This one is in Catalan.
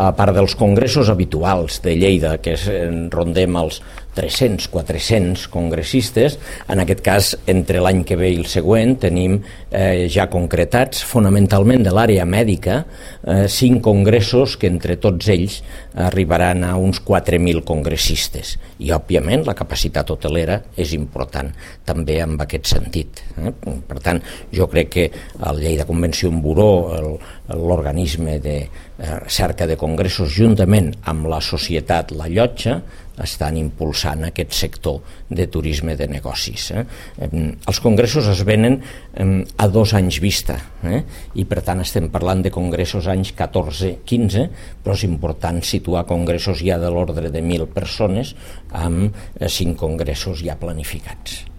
a part dels congressos habituals de Lleida, que rondem els 300-400 congressistes, en aquest cas, entre l'any que ve i el següent, tenim ja concretats, fonamentalment de l'àrea mèdica, 5 congressos que entre tots ells arribaran a uns 4.000 congressistes. I, òbviament, la capacitat hotelera és important, també en aquest sentit. Per tant, jo crec que el Lleida Convention Bureau, l'organisme de cerca de congressos, juntament amb la societat La Llotja, estan impulsant aquest sector de turisme de negocis. Els congressos es venen a 2 anys vista, i per tant estem parlant de congressos anys 14-15, però és important situar congressos ja de l'ordre de 1.000 persones amb 5 congressos ja planificats.